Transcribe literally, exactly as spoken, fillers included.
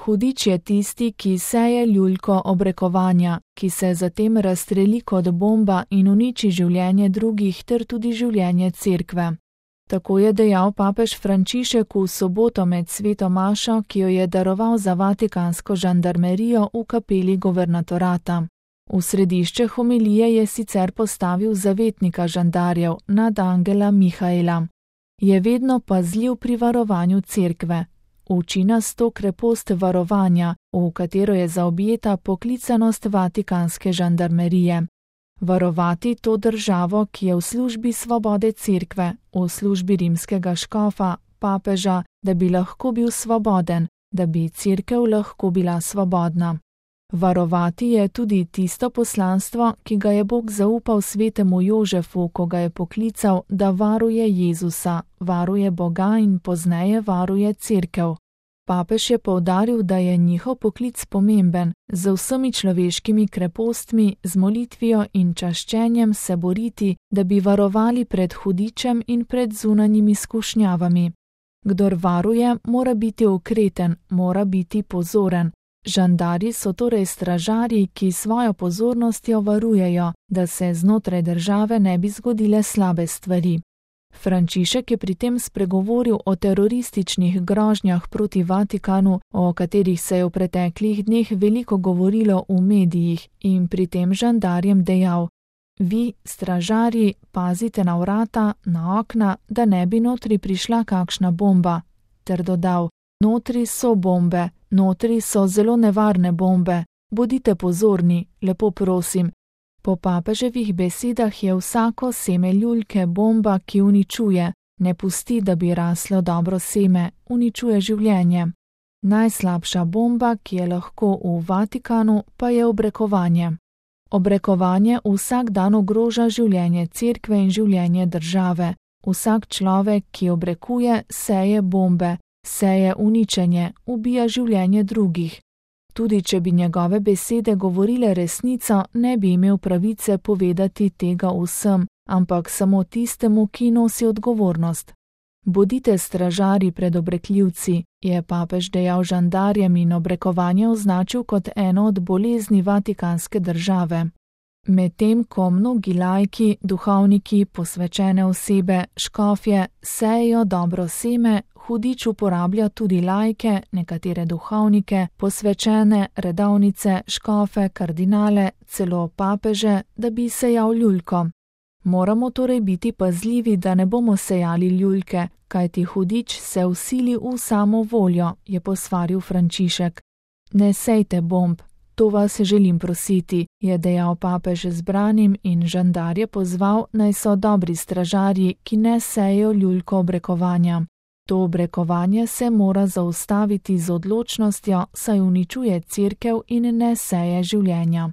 Hudič je tisti, ki seje ljuljko obrekovanja, ki se zatem razstreli kot bomba in uniči življenje drugih ter tudi življenje cerkve. Tako je dejal papež Frančišek v soboto med sveto mašo, ki jo je daroval za vatikansko žandarmerijo v kapeli guvernatorata. V središče homilije je sicer postavil zavetnika žandarjev, nadangela Mihaela. Je vedno pazljiv pri varovanju cerkve. Uči nas to krepost varovanja, v katero je zaobjeta poklicanost vatikanske žandarmerije. Varovati to državo, ki je v službi svobode cerkve, v službi rimskega škofa, papeža, da bi lahko bil svoboden, da bi cerkev lahko bila svobodna. Varovati je tudi tisto poslanstvo, ki ga je Bog zaupal svetemu Jožefu, ko ga je poklical, da varuje Jezusa, varuje Boga in pozneje varuje cerkev. Papež je poudaril, da je njihov poklic pomemben, z vsemi človeškimi krepostmi, z molitvijo in čaščenjem se boriti, da bi varovali pred hudičem in pred zunanjimi skušnjavami. Kdor varuje, mora biti ukreten, mora biti pozoren. Žandarji so torej stražarji, ki svojo pozornostjo varujejo, da se znotraj države ne bi zgodile slabe stvari. Frančišek je pri tem spregovoril o terorističnih grožnjah proti Vatikanu, o katerih se je v preteklih dneh veliko govorilo v medijih, in pri tem žandarjem dejal: Vi, stražarji, pazite na vrata, na okna, da ne bi notri prišla kakšna bomba, ter dodal: Notri so bombe, notri so zelo nevarne bombe, bodite pozorni, lepo prosim. Po papeževih besedah je vsako seme ljuljke bomba, ki uničuje, ne pusti, da bi raslo dobro seme, uničuje življenje. Najslabša bomba, ki je lahko v Vatikanu, pa je obrekovanje. Obrekovanje vsak dan ogroža življenje cerkve in življenje države. Vsak človek, ki obrekuje, seje bombe, seje uničenje, ubija življenje drugih. Tudi če bi njegove besede govorile resnico, ne bi imel pravice povedati tega vsem, ampak samo tistemu, ki nosi odgovornost. Bodite stražarji pred obrekljivci, je papež dejal žandarjem in obrekovanje označil kot eno od bolezni vatikanske države. Medtem ko mnogi laiki, duhovniki, posvečene osebe, škofje sejejo dobro seme, hudič uporablja tudi laike, nekatere duhovnike, posvečene, redovnice, škofe, kardinale, celo papeže, da bi sejal ljuljko. Moramo torej biti pazljivi, da ne bomo sejali ljuljke, kajti hudič se vsili v samo voljo, je posvaril Frančišek. Ne sejte bomb, to vas želim prositi, je dejal papež zbranim in žandarje pozval, naj so dobri stražarji, ki ne sejejo ljuljko obrekovanja. To obrekovanje se mora zaustaviti z odločnostjo, saj uničuje cerkev in ne seje življenja.